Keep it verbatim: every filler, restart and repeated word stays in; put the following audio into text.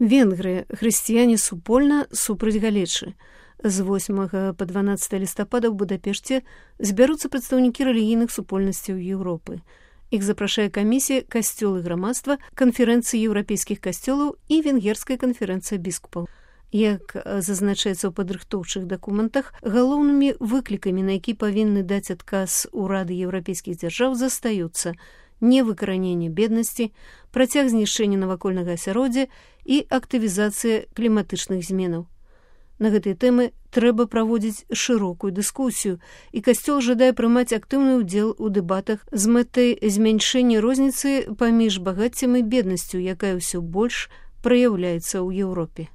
Венгры, хрысціяне супольна супраць галечы. З восьмага па дванаццатае лістапада ў Будапешце збяруцца прадстаўнікі рэлігійных супольнасцяў Еўропы. Іх запрашае камісія «Касцёл і грамадства» канферэнцыі еўрапейскіх касцёлаў і венгерская канферэнцыя біскупаў. Як зазначаецца ў падрыхтоўчых дакументах, галоўнымі выклікамі, на які павінны даць адказ урады еўрапейскіх дзяржаў, застаюцца невыкараненне беднасці, працяг знішчэння навакольнага асяроддзя і актывізацыя кліматычных зменаў. На гэтай тэмы трэба праводзіць шырокую дыскусію, і Касцёл жадае прымаць актыўны ўдзел у дэбатах з мэтай змяншэння розніцы паміж багаццем і беднасцю, якая ўсё больш праяўляецца ў Еўропе.